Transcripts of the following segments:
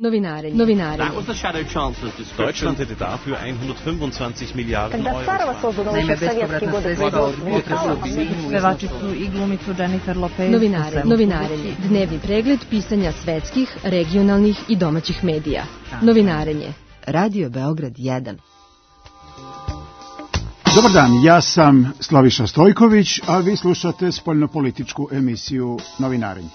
Novinarenje. Deutschland hätte dafür 125 Miliarden Euro. Naime, bespovratna sredstva od budžeta su objedinili pevačicu i glumicu Jennifer Lopez. Novinarenje. Dnevni pregled pisanja svetskih, regionalnih i domaćih medija. Novinarenje. Radio Beograd 1. Dobar dan, ja sam Slaviša Stojković, a vi slušate spoljnopolitičku emisiju Novinarenje.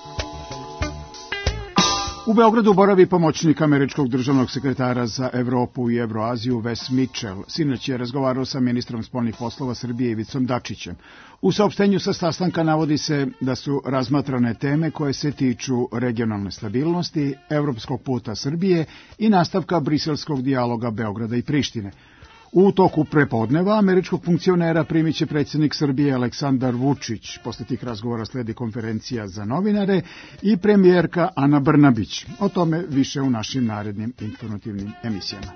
U Beogradu boravi pomoćnik američkog državnog sekretara za Evropu i Evroaziju Wes Mitchell. Sinoć je razgovarao sa ministrom spoljnih poslova Srbije Ivicom Dačićem. U saopštenju sa sastanka navodi se da su razmatrane teme koje se tiču regionalne stabilnosti, evropskog puta Srbije i nastavka briselskog dijaloga Beograda i Prištine. U toku prepodneva američkog funkcionera primit će predsjednik Srbije Aleksandar Vučić. Posle tih razgovora sledi konferencija za novinare i premijerka Ana Brnabić. O tome više u našim narednim informativnim emisijama.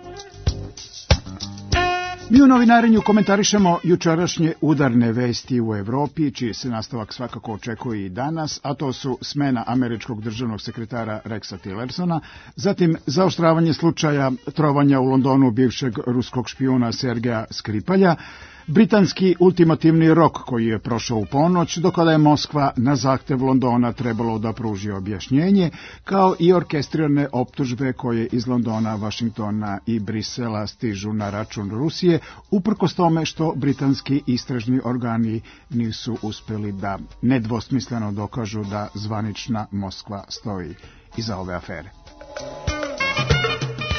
Mi u Novinarenju komentarišemo jučerašnje udarne vesti u Evropi, čiji se nastavak svakako očekuje i danas, a to su smena američkog državnog sekretara Rexa Tillersona, zatim zaoštravanje slučaja trovanja u Londonu bivšeg ruskog špijuna Sergeja Skripalja, britanski ultimativni rok koji je prošao u ponoć, do kada je Moskva na zahtev Londona trebalo da pruži objašnjenje, kao i orkestrirane optužbe koje iz Londona, Vašingtona i Brisela stižu na račun Rusije, uprkos tome što britanski istražni organi nisu uspeli da nedvosmisleno dokažu da zvanična Moskva stoji iza ove afere.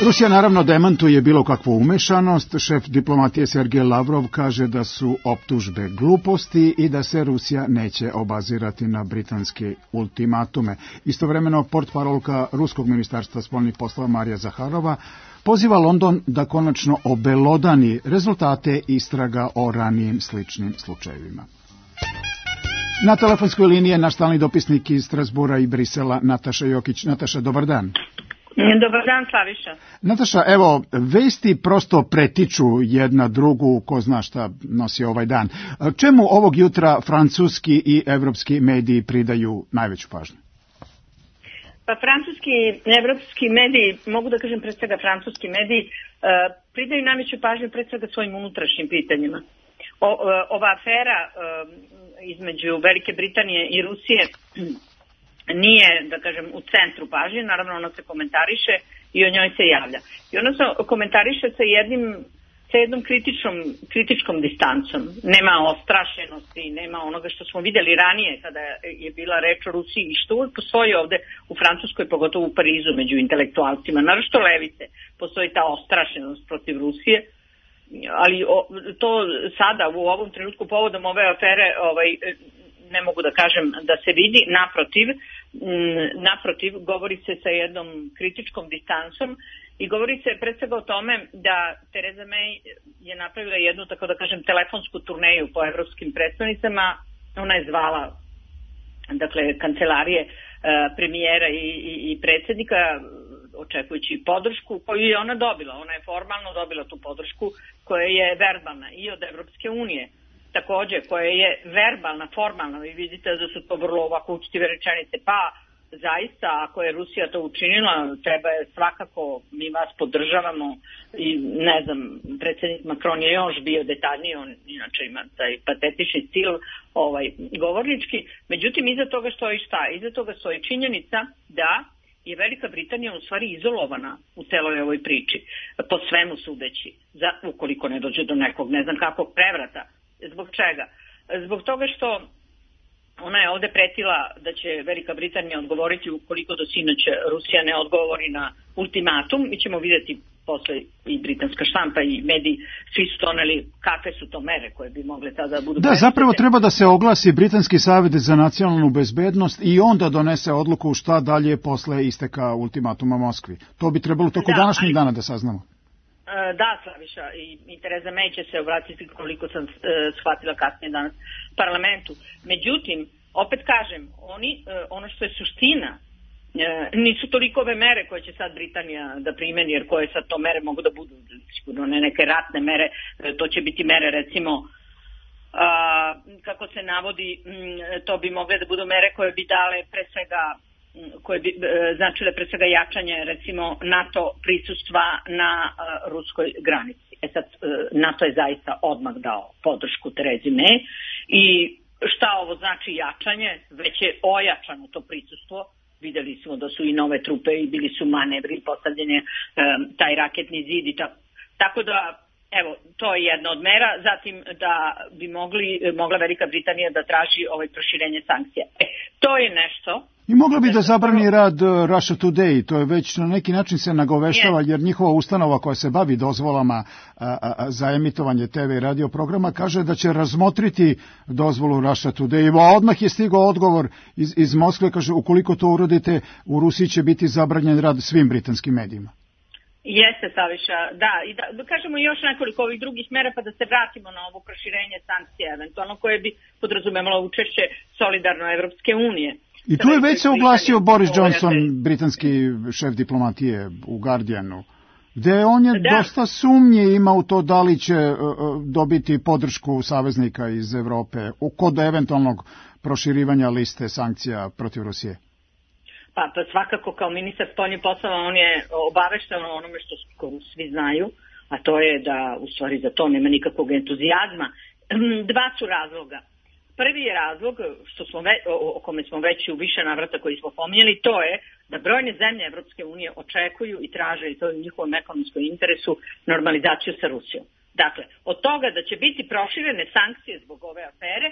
Rusija naravno demantuje bilo kakvu umešanost. Šef diplomatije Sergej Lavrov kaže da su optužbe gluposti i da se Rusija neće obazirati na britanske ultimatume. Istovremeno portparolka Ruskog ministarstva spoljnih poslova Marija Zaharova poziva London da konačno obelodani rezultate istraga o ranijim sličnim slučajevima. Na telefonskoj liniji je naš stalni dopisnik iz Strasbura i Brisela Nataša Jokić. Nataša, dobar dan. Dobar dan, Slaviša. Nataša, evo, vesti prosto pretiču jedna drugu, ko zna šta nosi ovaj dan. Čemu ovog jutra francuski i evropski mediji pridaju najveću pažnju? Pa francuski i evropski mediji, mogu da kažem pre svega francuski mediji, pridaju najveću pažnju pre svega svojim unutrašnjim pitanjima. Ova afera između Velike Britanije i Rusije nije, da kažem, u centru pažnje, naravno ona se komentariše i o njoj se javlja. I ona se komentariše sa jednom kritičkom distancom. Nema ostrašenosti, nema onoga što smo vidjeli ranije kada je bila reč o Rusiji i što uvijek postoji ovde u Francuskoj, pogotovo u Parizu među intelektualcima, naročito levice, postoji ta ostrašenost protiv Rusije, ali to sada u ovom trenutku povodom ove afere ne mogu da kažem da se vidi, naprotiv govori se sa jednom kritičkom distancom i govori se pred svega o tome da Theresa May je napravila jednu, tako da kažem, telefonsku turneju po evropskim predstavnicama. Ona je zvala, dakle, kancelarije premijera i predsjednika, očekujući podršku koju je ona dobila. Ona je formalno dobila tu podršku koja je verbalna i od Evropske unije. Takođe, koja je verbalna, formalna, vi vidite da su to vrlo ovako učtive rečenice, pa zaista, ako je Rusija to učinila, treba je svakako, mi vas podržavamo i ne znam, predsjednik Macron je još bio detaljniji, on inače ima taj patetični stil govornički, međutim, iza toga stoji šta? Iza toga stoji činjenica da je Velika Britanija u stvari izolovana u celoj ovoj priči, po svemu sudeći, ukoliko ne dođe do nekog, ne znam kakvog prevrata. Zbog čega? Zbog toga što ona je ovde pretila da će Velika Britanija odgovoriti ukoliko do sinoć Rusija ne odgovori na ultimatum. Mi ćemo vidjeti posle i britanska štampa i mediji, svi su doneli kakve su to mere koje bi mogle tada da budu... Da, zapravo treba da se oglasi Britanski savet za nacionalnu bezbednost i onda donese odluku šta dalje posle isteka ultimatuma Moskvi. To bi trebalo toko današnjeg dana da saznamo. Da, Slaviša, i Theresa May će se obratiti, koliko sam shvatila kasnije danas, parlamentu. Međutim, opet kažem, ono što je suština, nisu toliko ove mere koje će sad Britanija da primeni, jer koje sad to mere mogu da budu, sigurno ne neke ratne mere, to će biti mere recimo, kako se navodi, to bi mogle da budu mere koje bi dale pre svega koje bi značile pre svega jačanje recimo NATO prisustva na ruskoj granici. Sad, NATO je zaista odmah dao podršku Terezi May i šta ovo znači jačanje? Već je ojačano to prisustvo. Videli smo da su i nove trupe i bili su manevri, postavljanje taj raketni zid i tako da, evo, to je jedna od mera. Zatim da bi mogla Velika Britanija da traži proširenje sankcija. To je nešto. I mogla bi da zabrani rad Russia Today, to je već na neki način se nagovešava, jer njihova ustanova koja se bavi dozvolama za emitovanje TV i radio programa kaže da će razmotriti dozvolu Russia Today. A odmah je stigao odgovor iz Moskve, kaže ukoliko to uradite u Rusiji će biti zabranjen rad svim britanskim medijima. Jeste, Saviša, da, i da kažemo još nekoliko ovih drugih mera pa da se vratimo na ovo proširenje sankcija, eventualno koje bi podrazumevalo učešće solidarno Evropske unije. I tu je već se oglasio Boris Johnson, britanski šef diplomatije u Guardianu, gde on je dosta sumnje ima u to da li će dobiti podršku saveznika iz Evrope kod eventualnog proširivanja liste sankcija protiv Rusije. Pa svakako kao ministar spoljnih poslova on je obavešten o onome što svi znaju, a to je da u stvari za to nema nikakvog entuzijazma. Dva su razloga. Prvi je razlog o kome smo već u više navrata koji smo pominjali, to je da brojne zemlje Evropske unije očekuju i traže, i to je u njihovom ekonomskom interesu, normalizaciju sa Rusijom. Dakle, od toga da će biti proširene sankcije zbog ove afere,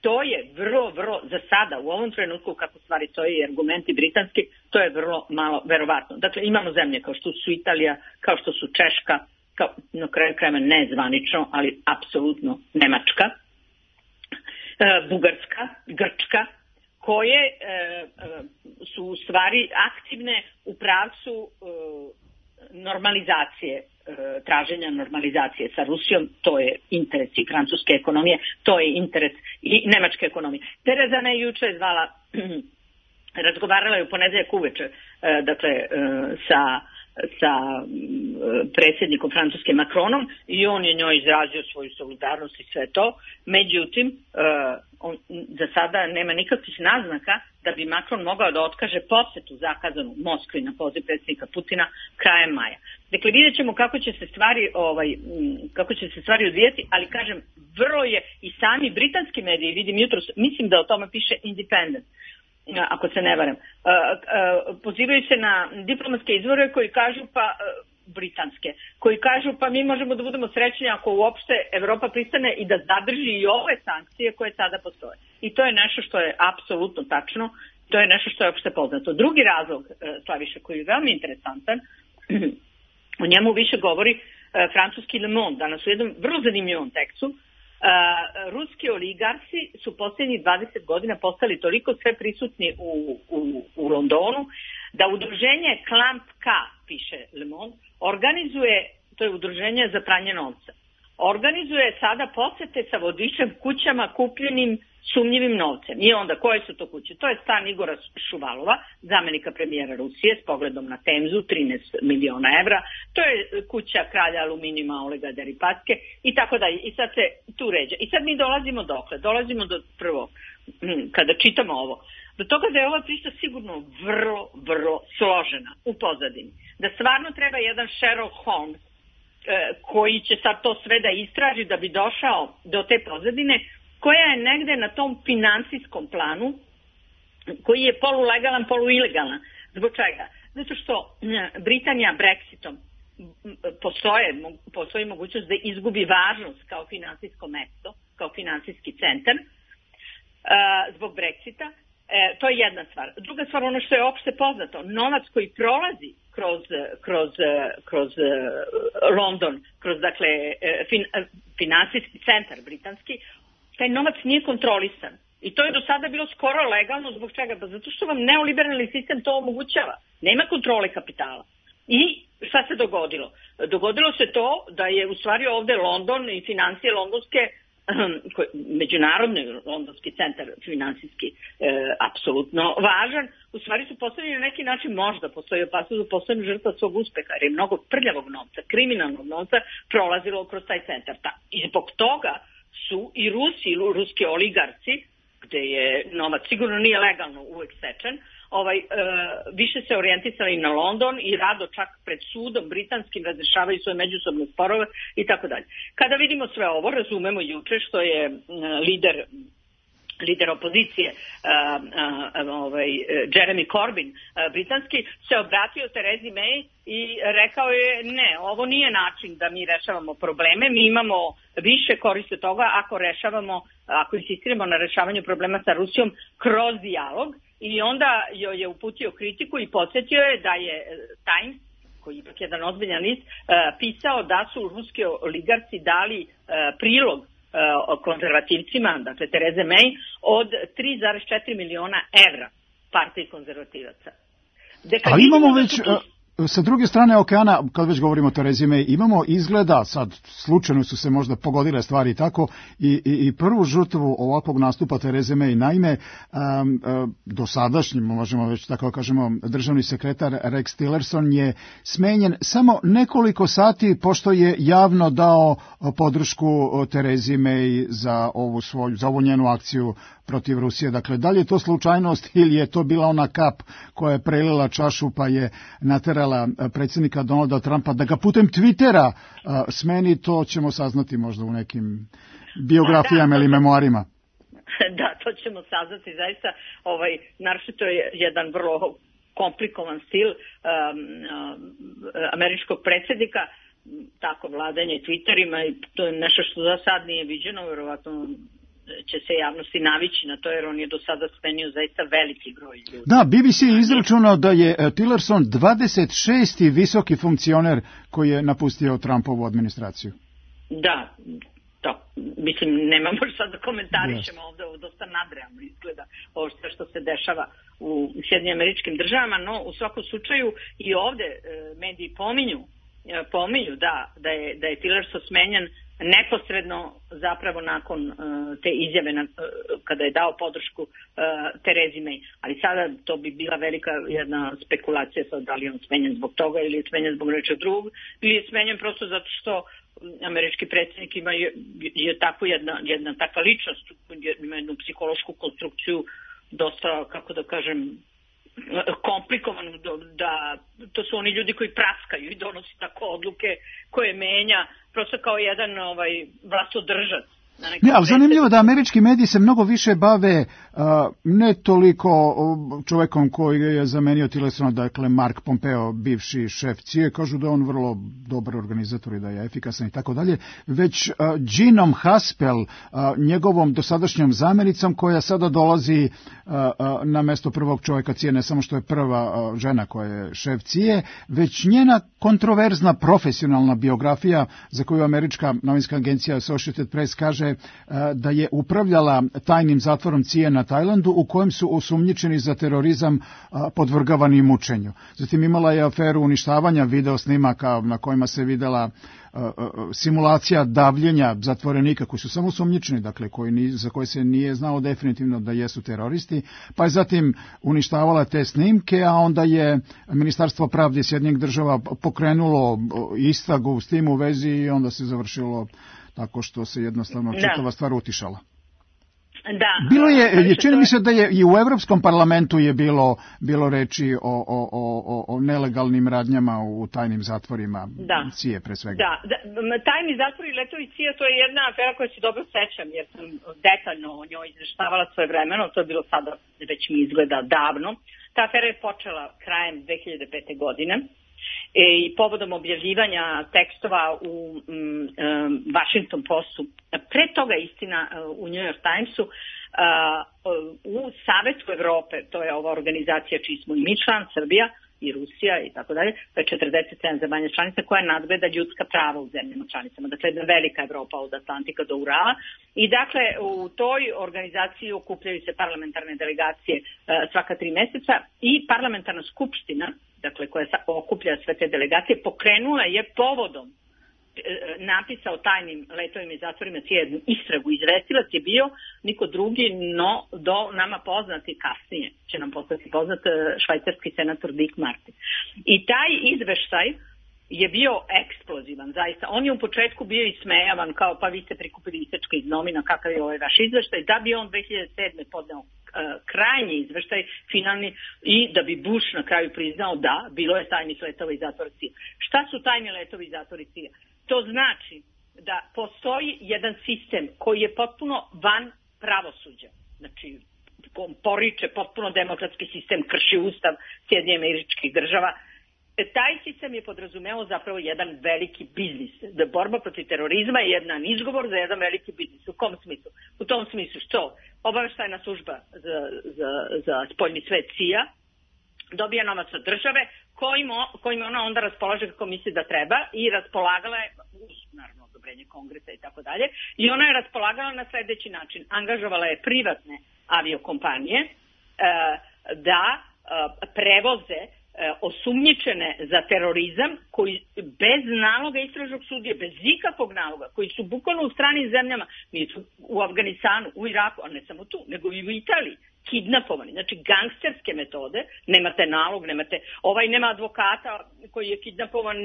to je vrlo, za sada, u ovom trenutku kako stvari stoji i argumenti britanski, to je vrlo malo verovatno. Dakle, imamo zemlje kao što su Italija, kao što su Češka, na kraju krajeva ne zvanično, ali apsolutno Nemačka, Bugarska, Grčka, koje su u stvari aktivne u pravcu normalizacije, traženja normalizacije sa Rusijom. To je interes i francuske ekonomije, to je interes i nemačke ekonomije. Tereza May juče je razgovarala je u ponedeljak uveče, dakle, sa predsjednikom Francuske Macronom i on je njoj izrazio svoju solidarnost i sve to. Međutim, za sada nema nikakvih naznaka da bi Macron mogao da otkaže posjetu zakazanu Moskvi na poziv predsjednika Putina krajem maja. Dakle, vidjet ćemo kako će se stvari odvijeti, ali kažem, vrlo je i sami britanski mediji, vidim jutros, mislim da o tome piše Independent, ako se ne varam, pozivaju se na diplomatske izvore koji kažu britanske, koji kažu pa mi možemo da budemo srećni ako uopšte Evropa pristane i da zadrži i ove sankcije koje sada postoje. I to je nešto što je apsolutno tačno, to je nešto što je opšte poznato. Drugi razlog, Slaviša, koji je veoma interesantan, o njemu više govori francuski Le Monde, danas u jednom vrlo zanimljivom tekstu. Ruski oligarsi su posljednjih 20 godina postali toliko sve prisutni u Londonu da udruženje Clamp K, piše Le Monde, organizuje, to je udruženje za pranje novca, organizuje sada posete sa vodičem kućama kupljenim sumnjivim novcem. I onda koje su to kuće? To je stan Igora Šuvalova, zamenika premijera Rusije s pogledom na Temzu, 13 miliona evra. To je kuća kralja aluminijuma Olega Deripatske i tako dalje. I sad se tu ređa. I sad mi dolazimo dokle? Dolazimo do prvo, kada čitamo ovo, do toga da je ova priča sigurno vrlo složena u pozadini. Da stvarno treba jedan Sherlock Holmes koji će sad to sve da istraži da bi došao do te pozadine koja je negde na tom finansijskom planu koji je polulegalan, poluilegalan. Zbog čega? Zato što Britanija Brexitom postoji mogućnost da izgubi važnost kao finansijsko mesto, kao finansijski centar zbog Brexita. To je jedna stvar. Druga stvar, ono što je opšte poznato, novac koji prolazi kroz London, kroz dakle finansijski centar britanski, taj novac nije kontrolisan. I to je do sada bilo skoro legalno. Zbog čega? Pa zato što vam neoliberalni sistem to omogućava. Nema kontrole kapitala. I šta se dogodilo? Dogodilo se to da je u stvari ovde London i financije londonske, međunarodni londonski centar finansijski apsolutno važan, u stvari su postavljeni na neki način, možda postoji opasnost da postanu žrtva svog uspeha, jer je mnogo prljavog novca, kriminalnog novca prolazilo kroz taj centar. I zbog toga su i ruski oligarci, gde je novac sigurno nije legalno uvek stečen, više se orijentisali na London i rado čak pred sudom britanskim razrešavaju svoje međusobne sporove i tako dalje. Kada vidimo sve ovo, razumemo juče što je lider opozicije Jeremy Corbyn britanski se obratio Theresi May i rekao je ne, ovo nije način da mi rešavamo probleme, mi imamo više koristi od toga ako insistiramo na rešavanju problema sa Rusijom kroz dijalog, i onda joj je uputio kritiku i podsjetio je da je Times, koji je ipak jedan ozbiljan list, pisao da su ruski oligarci dali prilog konzervativcima, dakle Therese May, od 3,4 miliona evra partiji konzervativaca. Ali imamo već, sa druge strane okeana, kad već govorimo o Theresi May, imamo izgleda, sad slučajno su se možda pogodile stvari tako, i prvu žrtvu ovakvog nastupa Therese May. Naime, dosadašnji, možemo već tako kažemo, državni sekretar Rex Tillerson je smenjen samo nekoliko sati pošto je javno dao podršku Theresi May za ovu njenu akciju protiv Rusije. Dakle, da li je to slučajnost ili je to bila ona kap koja je prelila čašu pa je naterala predsjednika Donalda Trumpa da ga putem Twittera smeni, to ćemo saznati možda u nekim biografijama ili memoarima. Da, to ćemo saznati zaista. Naročito je jedan vrlo komplikovan stil američkog predsjednika, tako vladanje Twitterima, i to je nešto što za sad nije viđeno, verovatno će se javnosti navići na to, jer on je do sada smenio zaista veliki broj ljudi. Da, BBC je izračunao da je Tillerson 26. visoki funkcioner koji je napustio Trumpovu administraciju. Da, mislim, nemamo sad da komentarišemo ovdje, ovo dosta nadrealno izgleda ovo što se dešava u Sjedinjenim Američkim Državama, no u svakom slučaju i ovdje mediji pominju da je Tillerson smenjen neposredno zapravo nakon te izjave kada je dao podršku Theresi May. Ali sada to bi bila velika jedna spekulacija sad da li je on smenjen zbog toga ili je smenjen zbog nečeg drugog, ili je smenjen prosto zato što američki predsjednik je tako jedna takva ličnost, ima jednu psihološku konstrukciju dosta, kako da kažem, komplikovanu, da to su oni ljudi koji praskaju i donose tako odluke koje menja prosto kao jedan vlastodržac. Ne, ali zanimljivo da američki mediji se mnogo više bave ne toliko čovjekom koji je zamenio Tillersona, dakle Mark Pompeo, bivši šef CIA, kažu da je on vrlo dobar organizator i da je efikasan i tako dalje, već Ginom Haspel, njegovom dosadašnjom zamjenicom koja sada dolazi na mesto prvog čovjeka CIA, ne samo što je prva žena koja je šef CIA, već njena kontroverzna profesionalna biografija za koju američka novinska agencija Associated Press kaže da je upravljala tajnim zatvorom CIA na Tajlandu u kojem su osumnjičeni za terorizam podvrgavani mučenju. Zatim imala je aferu uništavanja video snimaka na kojima se videla simulacija davljenja zatvorenika koji su samo osumnjičeni, dakle za koje se nije znalo definitivno da jesu teroristi, pa je zatim uništavala te snimke, a onda je Ministarstvo pravde Sjedinjenih Država pokrenulo istragu s tim u vezi i onda se završilo tako što se jednostavno čitava stvar utišala. Da. Bilo je, čini mi se da je i u Europskom parlamentu je bilo reči o nelegalnim radnjama u tajnim zatvorima CIA pre svega. Da, tajni zatvori i letovi CIA, to je jedna afera koja se dobro sećam, jer sam detaljno o njoj izveštavala svoje vremeno, to je bilo sada, već mi izgleda davno. Ta afera je počela krajem 2005. godine. I povodom objavljivanja tekstova u Washington Postu, pre toga istina u New York Timesu, u Savetu Evrope, to je ova organizacija čiji smo i mi član, Srbija i Rusija i tako dalje, to je 47 zemalja članica koja nadgleda ljudska prava u zemljama članicama, dakle jedna velika Evropa od Atlantika do Urala, i dakle u toj organizaciji okupljaju se parlamentarne delegacije svaka 3 mjeseca i parlamentarna skupština, dakle koja okuplja sve te delegacije, pokrenula je povodom napisa o tajnim letovima i zatvorima jednu istragu. Izvestilac je bio niko drugi, no do nama poznati kasnije će nam postati poznat švajcarski senator Dick Marty. I taj izveštaj je bio eksplozivan, zaista. On je u početku bio ismejavan, kao pa vi ste prikupili isečke iz novina, kakav je ovaj vaš izveštaj, da bi on 2007. podneo krajnji izveštaj, finalni, i da bi Bush na kraju priznao da, bilo je tajnih letova i zatvora CIA. Šta su tajni letovi i zatvori CIA? To znači da postoji jedan sistem koji je potpuno van pravosuđa. Znači, poriče potpuno demokratski sistem, krši ustav Sjedinjenih Američkih Država. Taj sistem je podrazumevao zapravo jedan veliki biznis. Da borba protiv terorizma je jedan izgovor za jedan veliki biznis. U kom smislu? U tom smislu što obaveštajna služba za spoljni svet CIA dobija novac od države kojim ona onda raspolaže kako misli da treba i raspolagala je, naravno odobrenje kongresa i tako dalje, i ona je raspolagala na sledeći način. Angažovala je privatne aviokompanije da prevoze osumnjičene za terorizam koji bez naloga istražnog sudije, bez ikakvog naloga, koji su bukvalno u stranim zemljama, nisu u Afganistanu, u Iraku, a ne samo tu, nego i u Italiji, kidnapovani. Znači, gangsterske metode, nemate nalog, nema advokata koji je kidnapovan,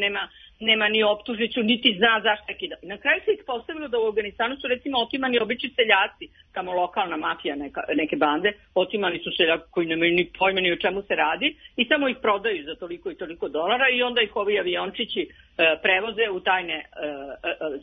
nema ni optužnicu, niti zna zašto je kidnapovan. Na kraju se ispostavilo da u Afganistanu su recimo otimani obični seljaci, tamo lokalna mafija, neke bande, otimani su seljaki koji nemaju ni pojma ni o čemu se radi i samo ih prodaju za toliko i toliko dolara i onda ih ovi aviončići prevoze u tajne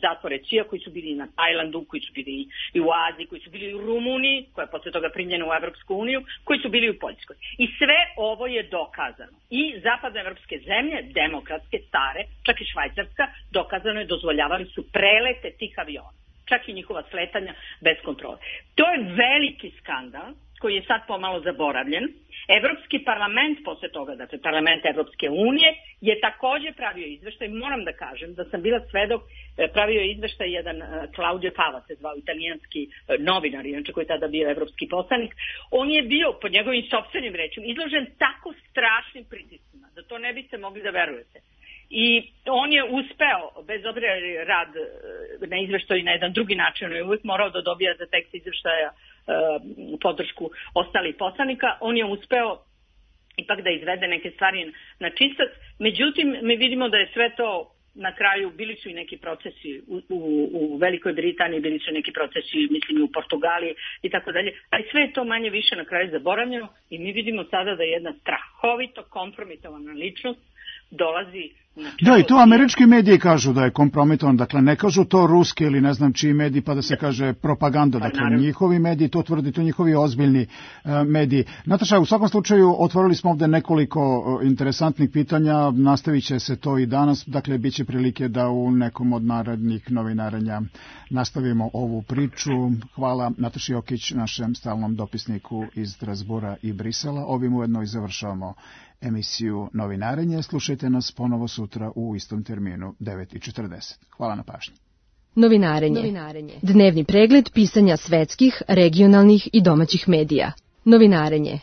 zatvore CIA koji su bili na Tajlandu, koji su bili i u Aziji, koji su bili u Rumuniji, koja je posle toga primljena u Evropsku uniju, koji su bili u Poljskoj. I sve ovo je dokazano. I zapadnoevropske zemlje, demokratske, stare, čak i Švajcarska, dokazano je, dozvoljavali su prelete tih aviona. Čak i njihova sletanja bez kontrole. To je veliki skandal koji je sad pomalo zaboravljen. Evropski parlament posle toga, dakle parlament Evropske unije, je takođe pravio izveštaj. Moram da kažem da sam bila svedok, pravio je izveštaj jedan Claudio Fava, se zvao, italijanski novinar, inače koji je tada bio evropski poslanik. On je bio, po njegovim sopstvenim rečima, izložen tako strašnim pritiscima da to ne biste mogli da verujete. I on je uspeo, bez obzira rad na izveštaju na jedan drugi način, on je uvijek morao da dobija za tekst izveštaja podršku ostalih poslanika, on je uspeo ipak da izvede neke stvari na čistac. Međutim, mi vidimo da je sve to na kraju, bili su i neki procesi u Velikoj Britaniji, bili su neki procesi, mislim, i u Portugaliji i tako dalje, ali sve je to manje više na kraju zaboravljeno i mi vidimo sada da je jedna strahovito kompromitovana ličnost dolazi. Da, i to američki mediji kažu da je kompromitovan, dakle ne kažu to ruski ili ne znam čiji mediji pa da se kaže propaganda, dakle njihovi mediji to tvrdi, to njihovi ozbiljni mediji. Nataša, u svakom slučaju otvorili smo ovde nekoliko interesantnih pitanja, nastavit će se to i danas, dakle bit će prilike da u nekom od narednih novinarenja nastavimo ovu priču. Hvala Nataši Jokić, našem stalnom dopisniku iz Strasbura i Brisela. Ovim ujedno i završavamo emisiju Novinarenje. Slušajte nas ponovo sutra u istom terminu 9:40. Hvala na pažnji. Novinarenje. Dnevni pregled pisanja svetskih, regionalnih i domaćih medija. Novinarenje.